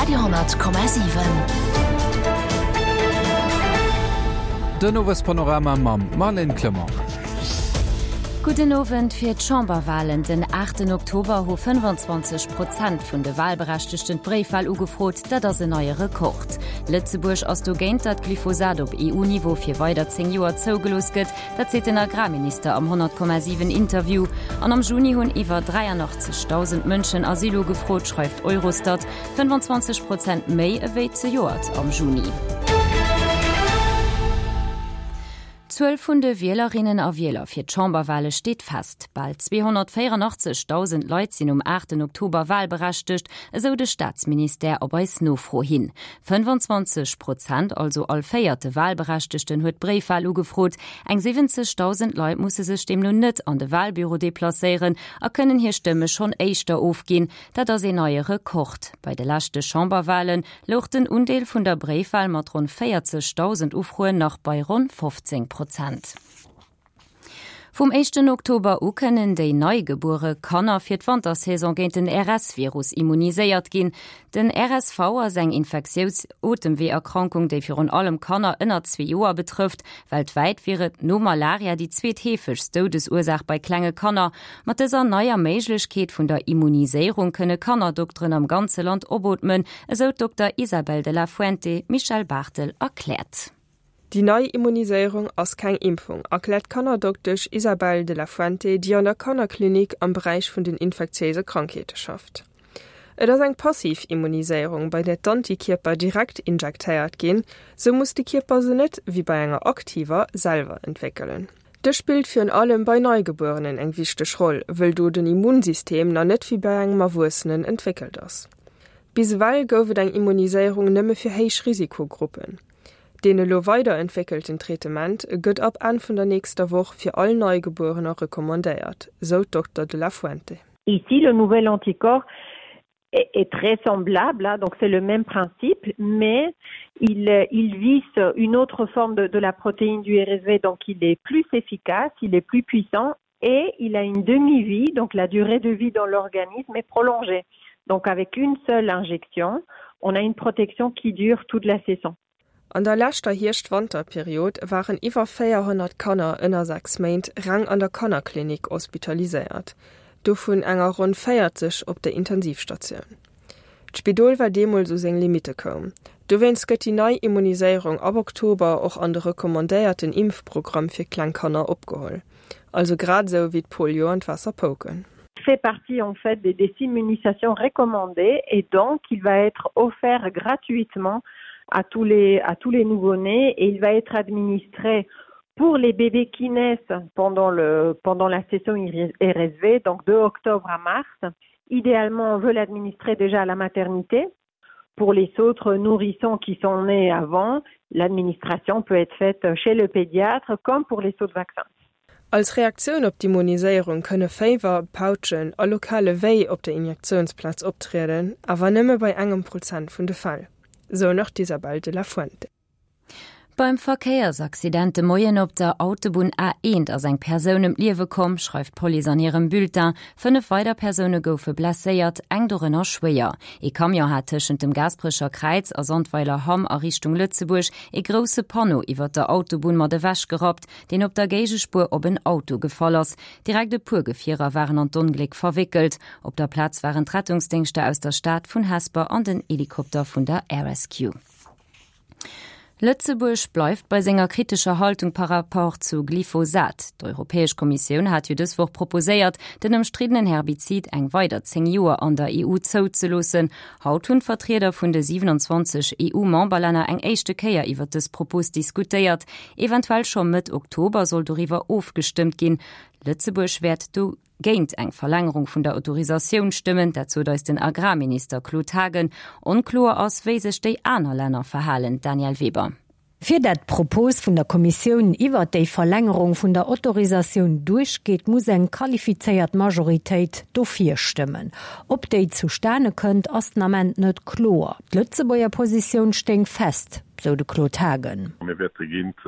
Radio 10,7. Den Owespanorama mam Marlène Clement. Gudden Owend. Fir d'Chamberwalen den 8 Oktober hu 25 Prozent vun de Walberechtegten d'Bréifwal ugefrot. Dat ass en neie Rekord. Lëtzebuerg ass dogéint, datt Glyphosat op EU-Niveau fir weider 10 Joer zougelooss gëtt. Dat seet den Agrarminister am 100,7 Interview. An am Juni hunn iwwer 83.000 Mënschen Asyl ugefrot, schreift Eurostat, 25 Prozent méi ewéi zejoert am Juni. D'Zuel vun de Wielerinnen a Wieler fir d'Chamberwale steet fest. Bal 284.000 Leit sinn um 8 Oktober walberechtegt, esou de Staatsministère op eis Nofro hin. 25 Prozent, also all véierte Walberechtegten, huet d'Bréifwal ugefrot. Eng 70.000 Leit musse sech deemno net an de Walbüro deplacéieren a kënnen hir Stëmme schonn éischter ofginn. Dat ass een neie Rekord. Bei de leschte Chamberwale louch den Undeel vun der Bréifwal mat ronn 40.000 Ufroen nach bei ronn 15 Prozent. Vum éischten Oktober u kënnen déi neigebuere Kanner fir d'Wantersaison géint den RS-Virus immuniséiert ginn. Den RSV ass eng infektious Otemweeërkrankung, déi virun allem Kanner ënner zwee Joer betrëfft. Weltwäit wier et no Malaria déi zweetheefegst Doudesursaach bei klenge Kanner. Mat dëser neier Méiglechkeet vun der Immuniséierung kënne Kannerdokteren am ganze Land opootmen, esou d'Dokter Isabel de la Fuente Michèle Barthel erkläert. Déi nei Immuniséierung ass keng Impfung, erkläert d'Kannerdoktesch Isabel de la Fuente, déi an der Kannerklinik am Beräich vun den infektiéise Krankheete schafft. Et ass eng passiv Immuniséierung, bei där d'Antikierper direkt injektéiert ginn, sou muss de Kierper se net, wéi bei enger aktiver, selwer entwéckelen. Dës spillt virun allem bei Neigebuerenen eng wichteg Roll, wëll do den Immunsystem nach net wéi bei engem Erwuessenen entwéckelt ass. Bis ewell gouf et eng Immuniséierung nëmme fir héich Risikogruppen. Deen elo weiderentwéckelten Traitement gëtt ab Enn vun der nächster Woch fir all Neigebuerener recommandéiert, sou d'Dokter de la Fuente. Ici, le nouvel anticorps est très semblable, donc c'est le même principe, mais il, il vise une autre forme de, de la protéine du RSV, donc il est plus efficace, il est plus puissant et il a une demi-vie, donc la durée de vie dans l'organisme est prolongée. Donc avec une seule injection, on a une protection qui dure toute la saison. An der leschter Hierscht-Wanter-Period waren iwwer 400 Kanner ënner 6 Méint reng an der Kannerklinik hospitaliséiert, dovun enger ronn 40 op der Intensivstatioun. D'Spidol war deemools u seng Limitte koum. Dowéinst gëtt déi nei Immuniséierung ab Oktober och an de recommandéierten Impfprogramm fir kleng Kanner opgeholl. Also grad esou wéi d'Polio an d'Waasserpouken. Fait partie en fait des, des immunisations recommandées et donc il va être offert gratuitement à tous les, à tous les nouveau-nés et il va être administré pour les bébés qui naissent pendant, le, pendant la session RSV, donc de octobre à mars. Idéalement, on veut l'administrer déjà à la maternité. Pour les autres nourrissons qui sont nés avant, l'administration peut être faite chez le pédiatre comme pour les autres vaccins. Als Reaktioun op d'Immuniséierung kënne Féiwer, Pautschen a lokale Wéi op der Injektiounsplaz optrieden, awer nëmme bei engem Prozent vun de Fäll, sou nach d'Isabel de la Fuente. Beim Verkéiersaccident de Moien op der Autobunn A1 ass eng Persoun ëm d'Liewe komm, schreift d'Police an hirem Bulletin. 5 weider Persoune goufe blesséiert, eng dorënner schwéier. Ee Camion hat tëschent dem Gaasperecher Kräiz a Sandweiler Hamm a Richtung Lëtzebuerg ee grousse Panneau iwwer der Autobunn mat ewech gerappt, deen op der Géigespuer op en Auto gefall ass. Direkt e puer Gefierer waren an d'Ongléck verwéckelt. Op der Plaz waren d'Rettungsdéngschter aus der Stad, vun Hesper an den Helikopter vun der Air Rescue. Lëtzebuerg bleift bei senger kritescher Haltung par rapport zu Glyphosat. D'Europäesch Kommissioun hat jo dës Woch proposéiert, den ëmstriddenen Herbizid eng weider 10 Joer an der EU zouzeloossen. Haut hunn d'Vertrieder vun de 27 EU-Memberlänner eng éischte Kéier iwwer dës Propos diskutéiert. Eventuell scho Mëtt Oktober soll doriwwer ofgestëmmt ginn. Lëtzebuerg wäert do géint eng Verlängerung vun der Autorisatioun stëmmen, dat sot eis den Agrarminister Claude Haagen. Onkloer ass, wéi sech déi aner Länner verhalen. Danièle Weber. Fir dat d'Propos vun der Kommissioun iwwert déi Verlängerung vun der Autorisatioun duerchgeet, muss eng qualifizéiert Majoritéit dofir stëmmen. Ob déi zustane kënnt, ass den Ament net kloer. D'Lëtzebuerger Positioun stéing fest, sou de Claude Haagen. Mir wäerte géint.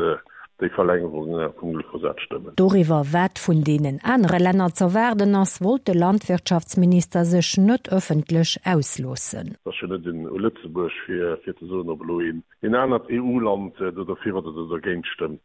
Déi Verlängerung vum Glyphosat stëmmen. Doriwwer, wat vun deenen anere Länner z'erwaarden ass, wollt de Landwirtschaftsminister sech net ëffentlech ausloossen. Et ass jo net u Lëtzebuerg fir ze soen, ob elo een anert EU-Land do derfir oder do dergéint stëmmt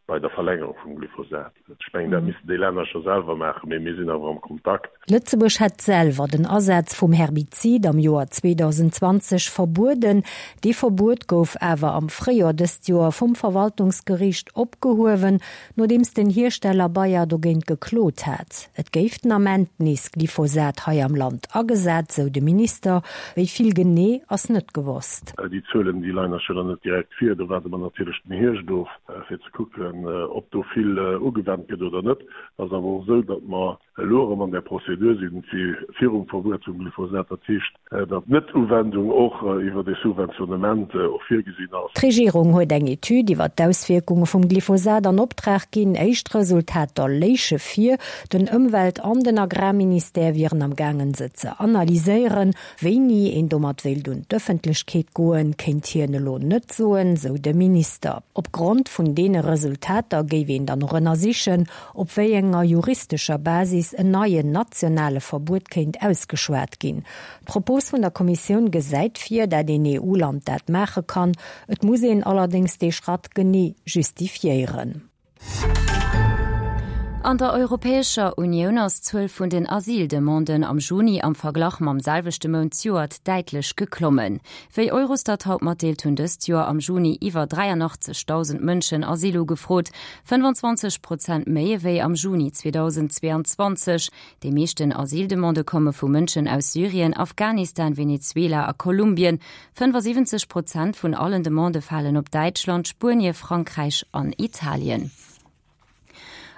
bei der Verlängerung vum Glyphosat. Ech mengen, dat missten déi Länner scho selwer maachen, mee mir sinn awer am Kontakt. Lëtzebuerg hätt selwer den Asaz vum Herbizid am Joer 2020 verbueden. Dee Verbuet gouf awer am Fréijoer dëst Joer vum Verwaltungsgeriicht opgehuewen, nodeems den Hiersteller Bayer dogéint geklot hat. Et géif den Ament nees Glyphosat hei am Land agesat, sou de Minister. Wéi vill genee ass net gewosst. Déi Zuelen, déi leien eis jo nach net direkt vir. Do waarde mer natierlech den Hierscht of, fir ze kucken, ob do vill ugewennt gëtt oder net. Et ass awer och esou, datt mer elo erëm an där Prozedur sinn, wéi virum Verbuet vum Glyphosat, dat heescht, datt d'Net-Uwendung och iwwert e Subventionnement och virgesinn ass. D'Regierung huet eng Etüd iwwer d'Auswierkunge vum Glyphosat an Optrag ginn. Éischt Resultater léiche vir. Den Ëmwelt an den Agrarministère wieren am gaangen, se ze analyséieren. Wéini een domat wéilt un d'Ëffentlechkeet goen, kéint hien elo net soen, sou de Minister. Op Grond vun deene Resultater géif een dann och ënnersichen, op wéi enger juristescher Basis en neien nationale Verbuet kéint ausgeschwat ginn. D'Propos vun der Kommissioun gesäit vir, dat een EU-Land dat maache kann. Et muss een allerdéngs dee Schratt genee justifiéieren. An der Europäescher Unioun ass d'Zuel vun den Asyldemanden am Juni am Verglach mam selwechte Mount zejoert däitlech geklommen. Wéi Eurostat haut matdeelt, hunn dëst Joer am Juni iwwer 83.000 Mënschen Asyl ugefrot, 25 Prozent méi ewéi am Juni 2022. Déi meeschten Asyldemandë komme vu Mënschen aus Syrien, Afghanistan, Venezuela a Kolumbien. 75 Prozent vun allen Demandë falen op Däitschland, Spuenie, Frankräich an Italien.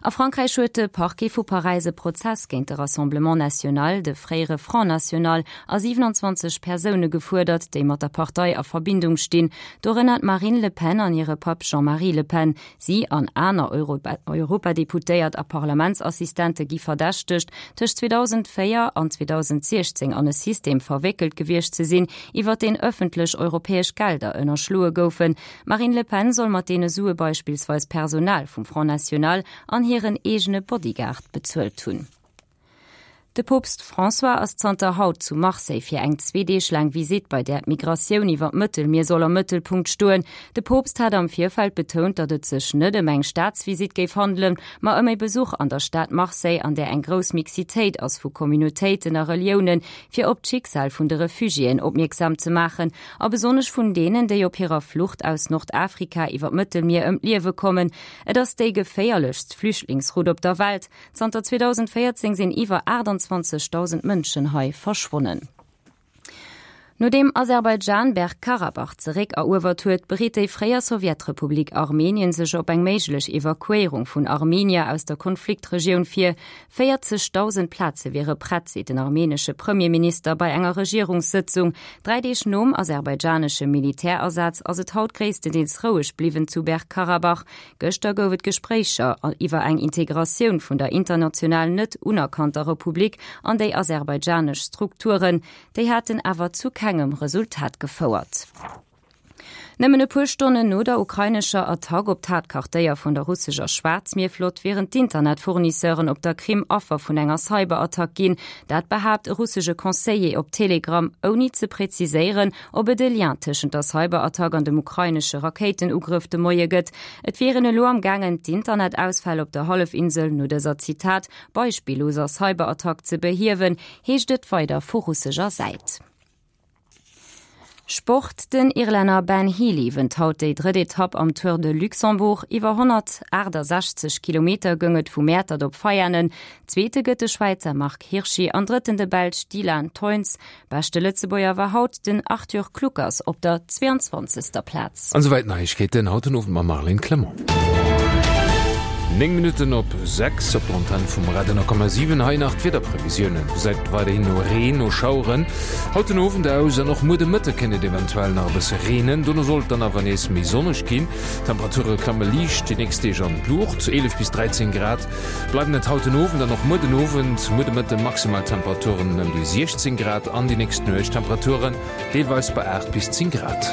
A Frankräich huet de Parquet vu Paräis e Prozess géint de Rassemblement National, de fréiere Front National, a 27 Persoune gefuerdert, déi mat der Partei a Verbindung stinn, dorënner d'Marine Le Pen an hire Papp Jean-Marie Le Pen. Si an aner Europadeputéiert a Parlamentsassistente gi verdächtegt, tëscht 2004 an 2016 an e System verwéckelt gewiescht ze sinn, iwwer deen ëffentlech europäesch Gelder ënnerschloe goufen. D'Marine Le Pen soll mat deene Sue beispillsweis Personal vum Front National an hiren eegene Bodyguard bezuelt hunn. De Poopst François ass zanter haut zu Marseille fir eng zwee Deeg laang Visitt, bei där d'Migratioun iwwer d'Mëttelmier soll am Mëttelpunkt stoen. De Poopst hat am Virfeld betount, datt et sech net ëm eng Staatsvisitt géif handelen, ma ëm e Besuch an der Stad Marseille, an där eng grouss Mixitéit ass vu Communautéiten a Reliounen, fir op d'Schicksal vun de Refugiéen opmierksam ze maachen a besonnesch vun deenen, déi op hirer Flucht aus Nordafrika iwwer d'Mëttelmier ëm d'Liewe kommen. Et ass déi geféierlechst Flüchtlingsroute op der Welt. Zanter 2014 sinn iwwer 28.000 Mënschen hei verschwonnen. Nodeem Aserbaidschan Bergkarabach zeréck eruewert huet, bereet déi fréier Sowjetrepublik Armenien sech op eng méiglech Evakuéierung vun Armenier aus der Konfliktregioun vir. 40.000 Plaze wiere prett, seet den armenesche Premierminister bei enger Regierungssëtzung. Dräi Deeg nom aserbaidschanesche Militärasaz ass et haut gréisstendeels roueg bliwwen zu Bergkarabach. Gëschter gouf et Gespréicher iwwer eng Integratioun vun der international net unerkannter Republik an déi aserbaidschanesch Strukturen. Déi haten awer zu kengem Resultat gefouert. Nëmmen e puer Stonnen no der ukrainescher Attack op d'Haaptquartéier vun der russescher Schwaarzmierflott wieren d'Internetfournisseuren op der Krim Affer vun enger Cyberattack ginn. Dat behaapt e russesche Conseiller op Telegram, ouni ze preziséieren, ob et e Lien tëschent der Cyberattack an dem ukrainesche Rakéitenugrëff de Moie gëtt. Et wier een elo am gaangen, d'Internetausfäll op der Hallefinsel no dëser, Zitat, beispilloser Cyberattack ze behiewen, heescht et weider vu russescher Säit. Sport, Den Irlänner Ben Healy wënnt haut déi drëtt Etapp am Tour de Luxembourg. Iwwer 168 Kilometer goung et vu Mäertert op Veianen. Zweete gëtt de Schwäizer Marc Hirschi an Drëtten de Belsch Dylan Teuns. Beschte Lëtzebuerger war haut den Arthur Kluckers op der 22. Plaz. An esouwäit d'Neiegkeeten haut den Owend mam Marlène Clement. 9 Minutten op 6 op der Antenn vum Radio 10,7. Hei nach d'Wiederprevisiounen. Gesäit weiderhin no Reen, no Schaueren haut den Owend aus an och muer de Mëtte kéint et eventuell nach e bësse reenen. Dono soll et dann awer nees méi sonneg ginn. D'Temperature klamme liicht déi nächst Deeg an d'Luucht, 11 bis 13 Grad bleiwen et haut den Owend an och muer den Owend. Muer de Mëtte maximal Temperaturen ëm déi 16 Grad an déi nächst Nuecht Temperaturen deelweis bei 8 bis 10 Grad.